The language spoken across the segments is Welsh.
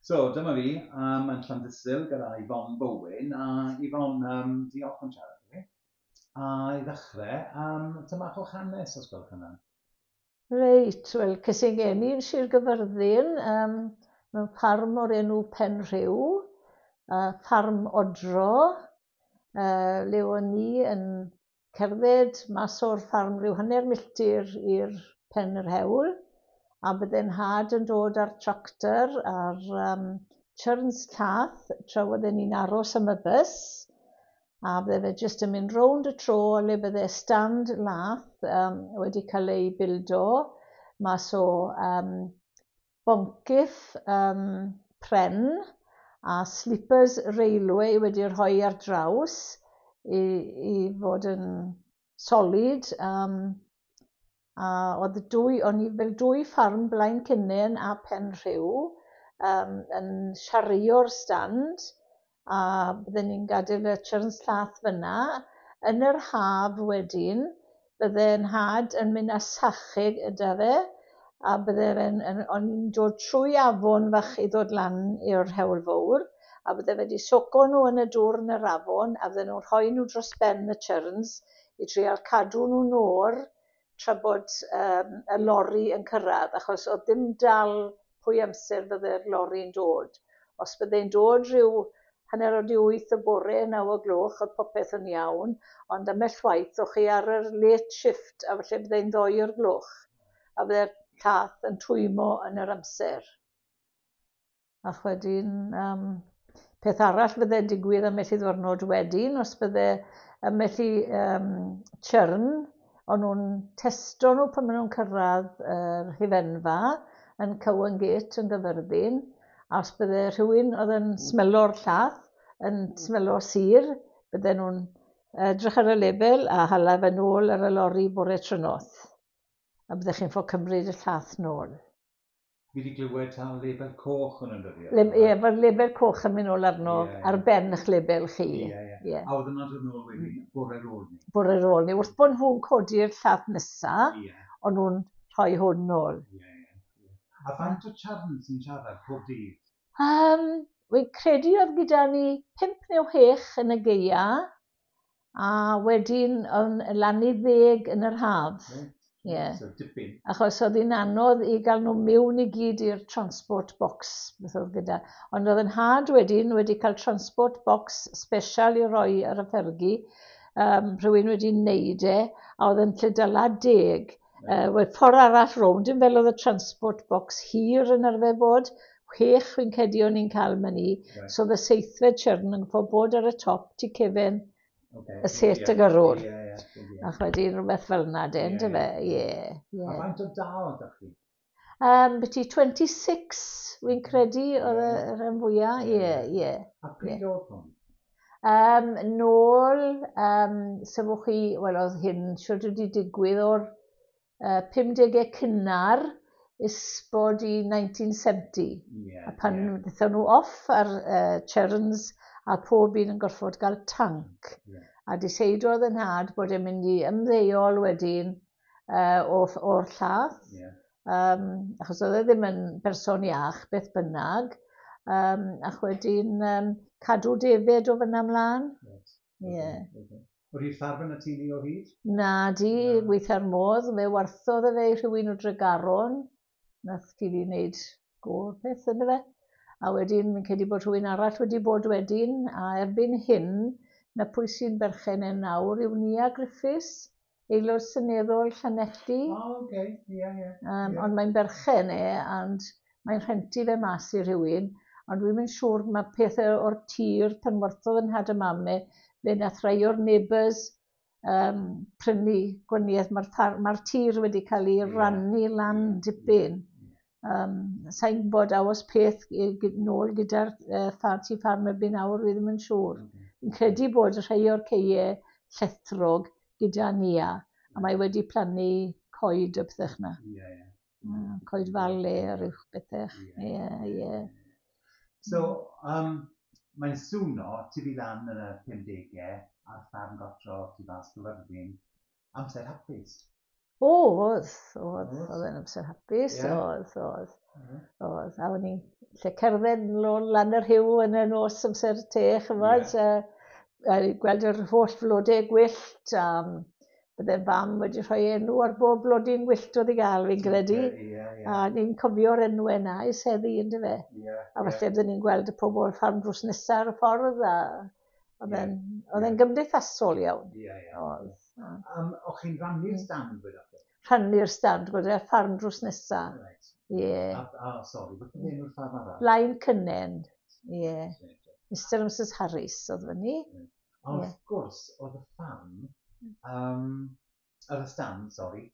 So, dyma fi yn Llandysul gyda Yvonne Bowen. A Yvonne, diolch am siarad â fi. A i ddechrau, dyma bach o'ch hanes, os gwelwch yn dda. Reit, wel, ces i'n geni yn Sir Gyfyrddin, mewn ffarm o'r enw Penrhiw, ffarm odro, le o'n i yn cerdded mas o'r ffarm rhyw hanner milltir i'r pen yr hewl, a bydde'n nhad yn dod â'r tractor a'r churns llath tra oedden ni'n aros am y bws, a bydde fe jyst yn mynd rownd y tro le bydde stand lath wedi cael ei bildo mas o boncyff pren a sleepers railway wedi rhoi ar draws i fod yn solid. A oedd dwy, o'n i fel dwy ffarm Blaen Cynnen a Penrhiw yn siario'r stand, a bydden ni'n gadael y churns llath fyna. Yn yr haf wedyn, bydde nhad yn mynd â sache gyda fe, a bydde fe'n, o'n i'n dod trwy afon fach i ddod lan i'r hewl fawr, a bydde fe wedi soco nhw yn y dŵr yn yr afon, a bydden nhw'n rhoi nhw dros ben y churns i trial cadw nhw'n oer tra bod y lori yn cyrraedd, achos oedd dim dal pwy amser fydde'r lori'n dod. Os byddai'n dod rhyw 8:30 y bore, 9 o gloch, oedd popeth yn iawn, ond ambell waith o'ch chi ar yr late shift, a falle byddai'n 2 o'r gloch, a byddai'r llath yn twymo yn yr amser. Ac wedyn, peth arall fydde'n digwydd ambell i ddwrnod wedyn, os bydde ambell i churn, o'n nhw'n testo nhw pan maen nhw'n cyrraedd yr hufenfa yn Cowan Gate yn Gyfyrddin, a os bydde rhywun oedd yn smelo'r llath, yn smelo sur, bydden nhw'n edrych ar y label a hala fe nôl ar y lori bore trynoth. A byddech chi'n ffod cymryd y llath nôl. Fi wedi glywed taw label coch o'n nhw'n dyddio. Ie, mae'r label coch yn mynd nôl arno ar ben eich label chi. Ie, ie. A oedd yna'n dod nôl wedyn, bore ar ôl ni. Bore ar ôl ni. Wrth bod nhw'n codi'r llath nesa, o'n nhw'n rhoi hwn nôl. Ie. A faint o charn sy'n siarad pob dydd? Wy'n credu oedd gyda ni 5 neu 6 yn y gaea, a wedyn yn lan i 10 yn yr haf. Ie. So, dipyn. Achos oedd hi'n anodd i gael nhw mewn i gyd i'r transport box, beth oedd gyda. Ond oedd yn nhad wedyn wedi cael transport box special i roi ar y ffergi, rhywun wedi wneud e, a oedd yn lle dala 10. Wel, ffordd arall rownd, dim fel oedd y transport box hir yn arfer bod, 6 fi'n credu o'n i'n cael myni. So oedd y seithfed churn yn gorfod bod ar y top tu cefen y set y gyrrwr. Ac wedyn rhywbeth fel yna, de, yndyfe? Ie, ie. A faint o dal ydych chi? Byti 26, wy'n credu, oedd y rhan fwyaf. Ie, ie. A pryd oedd hwn? Nôl, sefwch chi, wel, oedd hyn siwr wedi digwydd o'r 50au cynnar isbod i 1970. A pan ddaethon nhw off ar churns a pob un yn gorfod gael tanc. A diseidodd yn nhad bod e'n mynd i ymddeol wedyn o'r llath. Achos oedd e ddim yn berson iach, beth bynnag. Ac wedyn cadw defed o fyna ymlaen. Oedd hi'r ffarm yn y teulu o hyd? Na di, gweitha'r modd. Fe warthodd e fe i rhywun o Dregaron. Nath teulu wneud go peth ynddo fe. A wedyn, fi'n credu bod rhywun arall wedi bod wedyn, a erbyn hyn, na pwy sy'n berchen e nawr yw Nia Griffiths, aelod seneddol Llanelli. O, oce, ie, ie. Ond mae'n berchen e, ond mae'n rhentu fe mas i rhywun, ond dwi'm yn siŵr, mae pethau o'r tir pan werthodd yn nhad a mam e, fe nath rhai o'r neighbours prynu gwaniaeth, mae'r ma tir wedi cael ei rannu lan dipyn. Sa'n gwybod a oes peth nôl gyda'r tŷ ffarm erbyn nawr, fi ddim yn siŵr. Fi'n credu bod rhai o'r ceie llethrog gyda Nia, a mae wedi plannu coed a pethau 'na. Coed fale a rhyw bethau. Ie, ie. So, mae'n swno tyfu lan yn y 50au ar ffarm gotro tu fas Gyfyrddin, amser hapus. O, oedd, oedd, oedd e'n amser hapus, oedd, oedd. Oedd, a o'n i Lle cerdded nôl lan yr rhiw yn y nos amser te, chymod, a gweld yr holl flodau gwyllt, a bydde fam wedi rhoi enw ar bob blodyn gwyllt oedd i gael, fi'n credu. Yeah. A ni'n cofio'r enwau yna i seddi, ynddo fe. A falle bydden ni'n gweld y pobl ffarm drws nesaf ar y ffordd, a oedd e'n oedd e'n gymdeithasol iawn. Ie, ie. Oedd. O'ch chi'n rhannu'r stand gyda chi? Rhannu'r stand gyda ffarm drws nesaf. Right. Ie. A sori, beth oedd enw'r ffarm arall? Blaen Cynnen. Ie. Mr and Mrs Harris oedd fyny. A wrth gwrs, oedd y ffarm, oedd y stand, sori,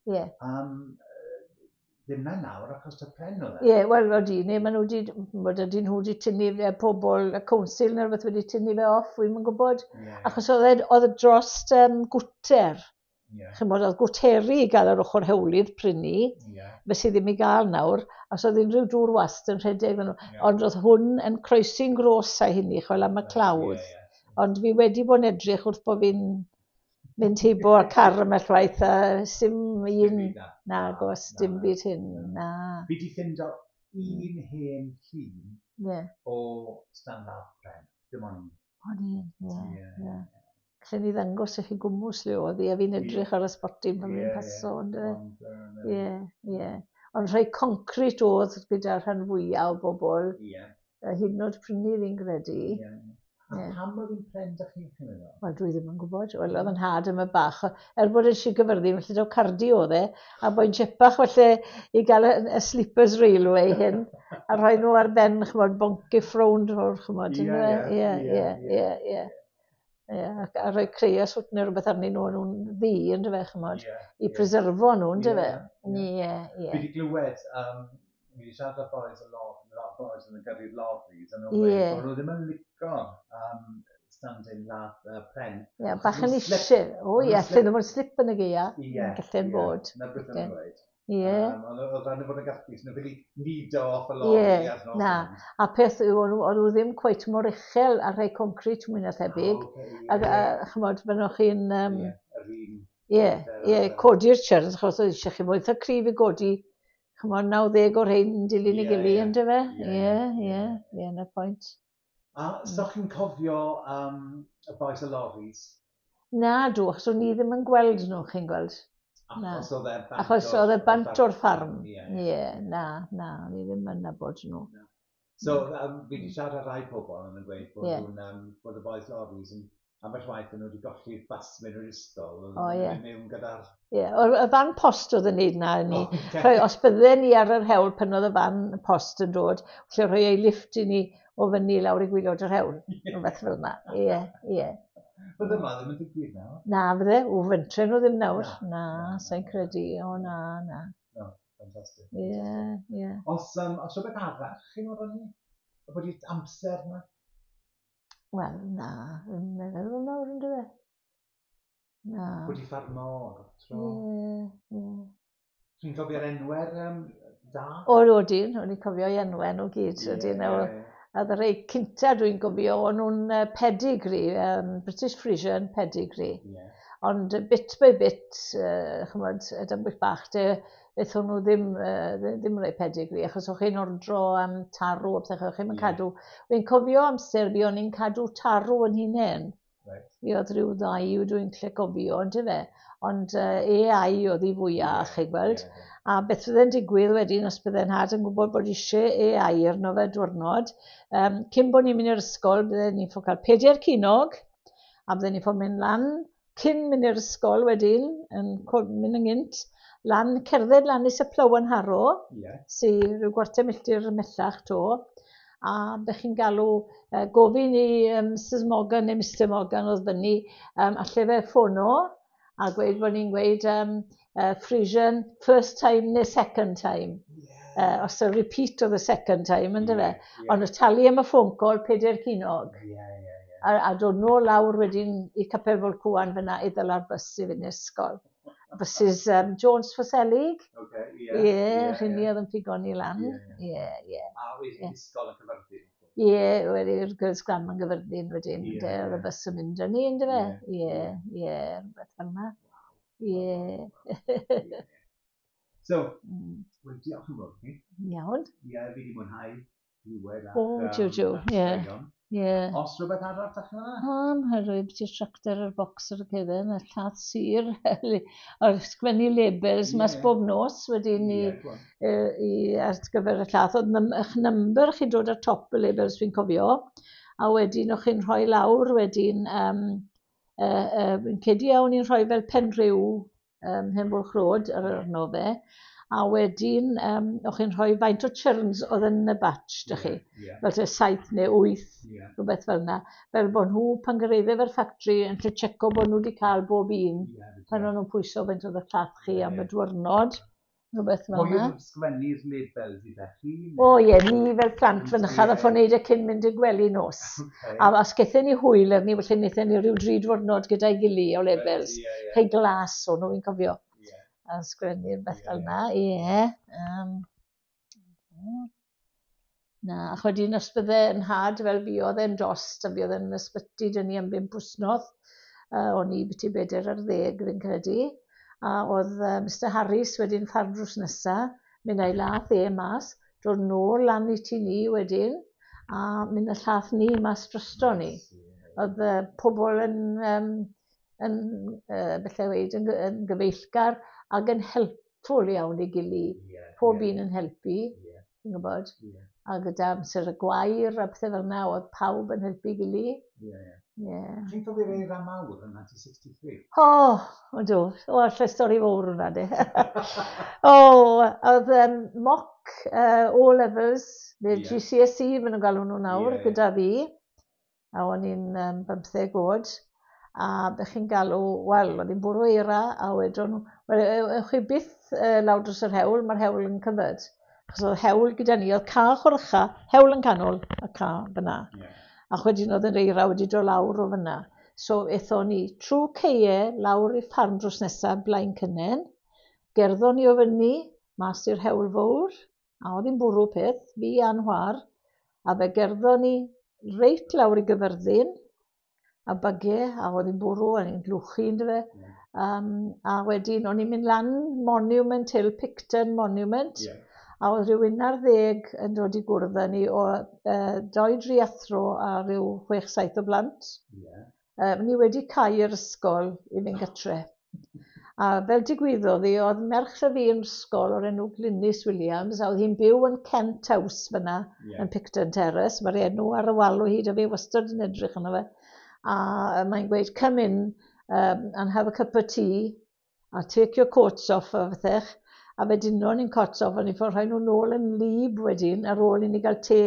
ddim na nawr achos y pren oedd e. Ie, wel, odi, neu maen nhw wedi, bod ydyn nhw wedi tynnu fe, pobl, y council neu rhywbeth wedi tynnu fe off, wi'm yn gwybod. Achos oedd e, oedd e drost gwter. Chimod, oedd gwteri i gael ar ochr hewlydd prynu, fe sydd ddim i gael nawr, os oedd unrhyw dŵr wast yn rhedeg nhw. Ond oedd hwn yn croesi'n gros a hynny, chwel am y clawdd. Ond fi wedi bod yn edrych wrth bod fi'n mynd heibo ar car ymell waith a sim un, nagos, dim byd hyn, na. Fi wedi ffindo un hen llun o stand lath pren. Dim ond un. O'n un, ie, ie. Gallen ni ddangos i chi gwmws le oedd hi, a fi'n edrych ar y spotyn pan fi'n paso, on'd yfe? Ond, na. Ie, ie. Ond rhai concrit oedd gyda'r rhan fwyaf o bobl, hyd yn oed prynu fi'n credu. Ie. A pam oedd hi'n pren da chi, chi'n meddwl? Wel, dwi ddim yn gwybod. Wel, oedd yn nhad yma bach. Er bod yn Sir Gyfyrddin, felly daw Cardi oedd e, a boi'n chipach felly i gael y sleepers railway hyn, a rhoi nhw ar ben, chymod, boncyff rownd o'r, chymod, yndyfe? Ie, Ie, ac a rhoi creosot neu rhywbeth arnyn nhw, o'n nhw'n ddu, yndyfe, chymod, i preserfo nhw, yndyfe? Ie, Ie, ie. Fi wedi glywed, fi wedi siarad â boys y lot, lot boys yn gyrru'r lorries, a nhw'n gweud bod nhw ddim yn lico standing lath pren. Ie, Achos bach yn nhw'n slip. eisiau. O Maen ie, nhw'n allan slip. nhw fod slip yn y gaea. Ie, Gallen bod. Na beth o'n nhw'n gweud. Ie. Ond oedd rhaid nhw fod yn gallu, so nhw'n ffili nido off y lorry ar nos Na. A peth yw, o'n nhw ddim cweit mor uchel ar rhai concrit mwy na thebyg. Ocê, A, ie, a chymod, maen chi'n... Ie, yr un. Ie, Ie, ie, codi'r churns, achos oedd eisiau chi fod eitha cryf i godi, chymod, 90 o'r rhain yn dilyn ei gilydd, yndyfe? Ie, Ie, ie. ie, ie, 'na pwynt. A so chi'n cofio y boys y lorries? Na, dw, achos o'n i ddim yn gweld nhw, chi'n gweld. Na. Achos oedd e bant Achos oedd e bant o'r ffarm. Ie. Ie, na, na, o'n i ddim yn nabod nhw. So, fi wedi siarad â rai pobl yn gweud bod nhw'n, bod y boys lorries yn ambell waith yn nhw wedi golli'r bus mewn i'r ysgol. O, ie. Mynd mewn gyda'r... Ie, y fan post oedd yn neud na i ni. O, ocê. Rhoi, os bydden ni ar yr hewl pan oedd y fan post yn dod, felly rhoi ei lift i ni o fyny lawr i gwaelod yr hewl. Rhywbeth fel yna. Ie, ie. Bydde yma ddim yn digwydd nawr. Na, fydde, o fentre nhw ddim nawr. Na, Na, na, sa i'n na. credu. O, na, na. No, ffantastig. Ie, ie. Os, os rhywbeth arall chi'n meddwl ni? Bod i'r amser na? Wel, na, ddim yn meddwl nawr yn dweud. Na. Bod i ffarmo, tro. Ie, ie. Chi'n cofio'r enwau'r da? O, odyn, o'n i'n cofio i enwau nhw gyd. Odyn, a y rhai cynta dwi'n gofio, o'n nhw'n pedigree, British Frisian pedigree. Ond bit by bit, chymod, y dambwyll bach de, aethon nhw ddim, ddim rhai pedigree, achos o'ch chi'n ordro am tarw a pethau, o'ch chi'n cadw. Fi'n cofio amser fi, o'n i'n cadw tarw yn hunain. Fi oedd rhyw ddau dwi'n lle gofio, on'd yfe? Ond AI oedd hi fwyaf, chi'n gweld. A beth fydde'n digwydd wedyn, os bydde'n nhad yn gwybod bod eisiau AI arno fe diwrnod, cyn bod ni'n mynd i'r ysgol, bydden ni'n ffo cael 4 ceiniog, a bydden ni'n ffo mynd lan, cyn mynd i'r ysgol wedyn, yn mynd yn gynt, lan, cerdded lan i Plough and Harrow, sy rhyw gwarter milltir ymhellach to, a bych chi'n galw gofyn i Mrs Morgan neu Mr Morgan oedd fyny, alle fe ffono, a gweud bod ni'n gweud Frisian first time neu second time. Os y repeat oedd y second time, yndyfe? Ond y talu am y phone call 4 ceiniog. Ie, ie, ie. A dod nôl lawr wedyn i Capel Fol-cwan fyna i ddala'r bws i fynd i'r ysgol. Buses Jones Ffoselig. Ocê, ie. Ie, rheini oedd yn pigo ni lan. Ie, Ie, ie. A wedyn ysgol yn Cyfyrddin. Ie, wedi'r Girls Grammar yn Gyfyrddin wedyn, ynde, oedd y bws yn mynd â ni, yndyfe? Ie. Ie, ie, rhywbeth fel yna. Ie. So, wel, diolch yn fawr chi. Iawn. Ie, fi wedi mwynhau. glywed a'ch, O, jiw, jiw, ie. Ie. Os rhywbeth arall da chi'n yna? O, mae rhoi beth i'r tractor a'r bocs ar y cefen, a llath sir, a'r sgwennu labels mas bob nos wedyn i, i, ar gyfer y llath. Oedd eich number chi'n dod ar top y labels fi'n cofio, a wedyn o'ch chi'n rhoi lawr wedyn, fi'n credu iawn i'n rhoi fel Penrhiw, Hen Bwlch Road ar arno fe, a wedyn o'ch chi'n rhoi faint o churns oedd yn y batch, dych chi. Fel te 7 neu 8, rhywbeth fel yna. Fel bod nhw, pan gyraedde fe'r ffactri, yn lle checo bod nhw wedi cael bob un, pan o'n nhw'n pwyso faint oedd y llath chi am y diwrnod, rhywbeth fel yna. Pwy sgwennu'r labels i chi? O ie, ni fel plant fynychaf a ffôn neud e cyn mynd i'r gwely nos. A os gethon ni hwyl arni, felly wnaethon ni rhyw dri diwrnod gyda'i gili o labels. Rhai glas o'n nhw, fi'n cofio. A sgwennu'r beth fel yna, ie. Na, ac wedyn os bydde yn nhad fel fi oedd e'n dost a fi oedd yn ysbyty dyn ni am 5 wsnos, o'n i byti 14 fi'n credu, a oedd Mr Harris wedyn ffarm drws nesa, mynd â'i lath e mas, dod nôl lan i tŷ ni wedyn, a mynd â llath ni mas drosto ni. Oedd pobl yn, yn bethau weud, yn gyfeillgar ac yn helpful iawn i gili. Pob un yn helpu, ti'n gwybod. A gyda amser y gwair a pethau fel yna, oedd pawb yn helpu gili. Chi'n cofio'r eira mawr yn 1963? O, ydw. O, allai stori fawr hwnna, di. O, oedd mock O-levels, neu GCSE, maen nhw'n galw nhw nawr, gyda fi. A o'n i'n 15 oed. A be chi'n galw, wel, oedd hi'n bwrw eira, a wedon nhw, wel, ewch chi byth lawr dros yr hewl, mae'r hewl yn covered. Achos oedd hewl gyda ni, oedd ca chwrcha, hewl yn canol, a ca fyna. A wedyn oedd yr eira wedi dod lawr o fyna. So ethon ni trwy ceie lawr i ffarm drws nesaf, Blaen Cynnen. Gerddon ni o fyny, mas i'r hewl fawr, a oedd hi'n bwrw peth, fi a'n chwaer, a fe gerddon ni reit lawr i Gyfyrddin, a byge, a oedd hi'n bwrw, a ni'n glwchu, yndyfe. A wedyn o'n i'n mynd lan Monument Hill, Picton Monument, a oedd rhyw 11 yn dod i gwrdd â ni o 2-3 athro a rhyw 6-7 o blant. Ni wedi cau yr ysgol i fynd gytre. A fel digwyddodd hi, oedd merch y fi yn ysgol o'r enw Glynis Williams, a oedd hi'n byw yn Kent House fyna, yn Picton Terrace. Mae'r enw ar y wal o hyd, a fi wastad yn edrych arno fe. A mae'n gweud, come in and have a cup of tea, a take your coats off a phethech. A fe dynon ni'n coats off, a ni'n ffordd rhoi nhw nôl yn lib wedyn, ar ôl i ni gael te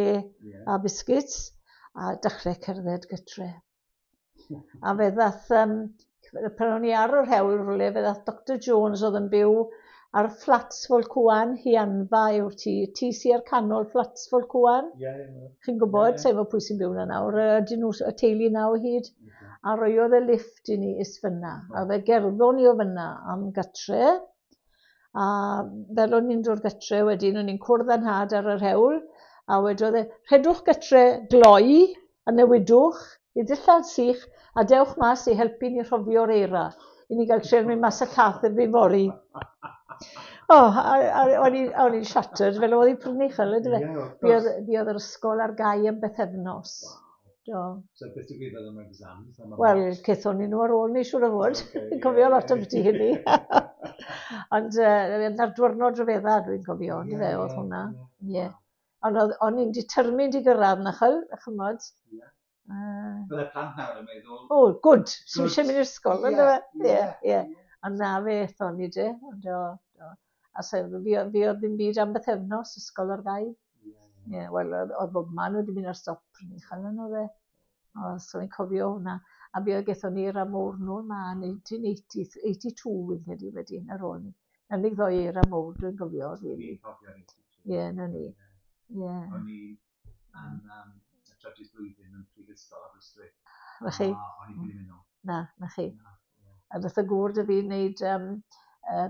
a biscuits, a dechrau cerdded gytre. A fe ddath, pan o'n i ar yr hewl rhywle, fe ddath Dr Jones oedd yn byw ar Flats Folcwan, Hianfa yw'r tŷ, tŷ sy ar canol Flats Folcwan. Chi'n gwybod, sef o pwy sy'n byw yna nawr, ydyn nhw y teulu na o hyd. A roiodd e lift i ni is fyna. A fe gerddon ni o fyna am gytre. A fel o'n i'n dod gytre wedyn, o'n i'n cwrdd â'n nhad ar yr hewl, a wedodd e, rhedwch gytre gloi a newidwch i ddillad sych a dewch mas i helpu ni rhofio'r eira, i ni gael treial mynd mas y llath erbyn fory. O, a o'n i'n shattered, fel oedd hi'n prynu chel, ydw fe? Buodd yr ysgol ar gau am bythefnos. Do. So beth digwyddodd am exams? Wel, cethon ni nhw ar ôl ni, siŵr o fod. Fi'n cofio lot am byti hynny. Ond na'r diwrnod rhyfedda dwi'n cofio, on'd yfe, oedd hwnna. Ie. Ond o'n i'n determined i gyrraedd na chel, chymod. Bydde plant nawr yn meddwl... O, good, sy'n eisiau mynd i'r ysgol, on'd yfe? Ie, ie. Ond na fe ethon ni de, ond o, do. A so, fi oedd ddim byd am bythefnos, ysgol ar gau. Ie, wel, oedd bob man wedi mynd ar stop pryd chael yn oedd e. O, so fi'n cofio hwnna. A fi oedd gethon ni eira mowr nôl ma yn 1982, fi'n credu wedyn, ar ôl ni. Na'r unig ddoi eira mowr dwi'n cofio, really. Fi'n cofio 82. Ie, na ni. Ie. O'n i yn y trydydd blwyddyn yn Prifysgol Aberystwyth. Na chi? A o'n i'n ffili mynd nôl. Na, na chi. A dath y gŵr 'da fi wneud,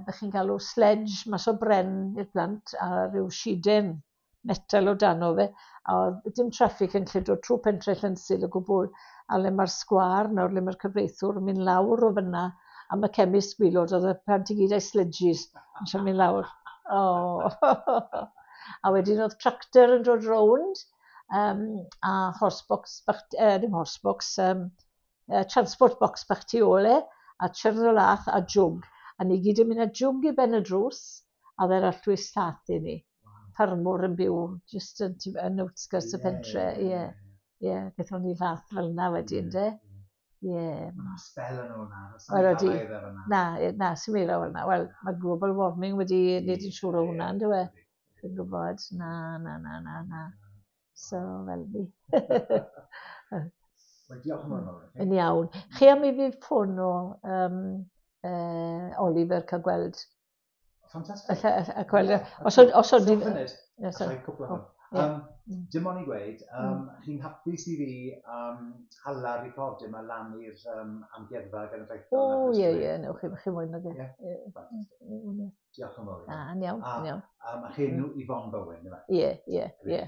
be chi'n galw sledge mas o bren i'r plant, a rhyw siden metal o dano fe, a oedd dim traffic yn lle dod trwy pentre Llansil o gwbl, a le mae'r sgwâr nawr, le mae'r cyfreithiwr yn mynd lawr o fyna, a mae chemist gwylod, oedd y plant i gyd â'i sledges yn siarad mynd lawr. O. A wedyn oedd tractor yn dod rownd, A horse box bach, ddim horse box, transport box bach tu ôl e, a churn o lath a jwg. A ni gyd yn mynd â jwg i ben y drws, a dde'r arllwys llath i ni. Ffarmwr yn byw just yn outskirts y pentre, ie. Ie, gaethon ni lath fel yna wedyn, de. Ie. Mae'n spel yn ôl na. Wel, ydi. Na, na, sy'n meddwl fel yna. Wel, mae global warming wedi wneud yn siŵr o hwnna, on'd yw e? Fi'n gwybod. Na, na, na, na, na. So, fel ni. Wel, diolch yn fawr. Yn iawn. Chi am i fi ffôn o Oliver cael gweld. Ffantastig. A gweld. Os o'n... Allai cwpl o. Dim ond i gweud, chi'n hapus i fi hala'r record yma lan i'r Amgueddfa Genedlaethol? O, ie, ie, newch chi moyn ag e. Ie. Diolch yn fawr. Na, yn iawn, yn iawn. A chi enw Yvonne Bowen, yma? Ie, ie, ie.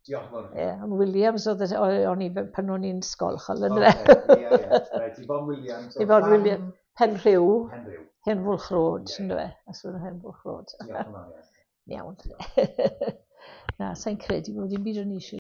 Diolch yn fawr. Ie, ond Williams oedd o'n i pan o'n i'n ysgol, chol, yn Oce, ie, ie. Reit, Yvonne Williams. Yvonne Williams, Penrhiw. Penrhiw. Henfwlch Road, ynddo fe? Aswn Henfwlch Road. Diolch yn fawr. Iawn. Na, sa'n credu bod dim byd o'n eisiau.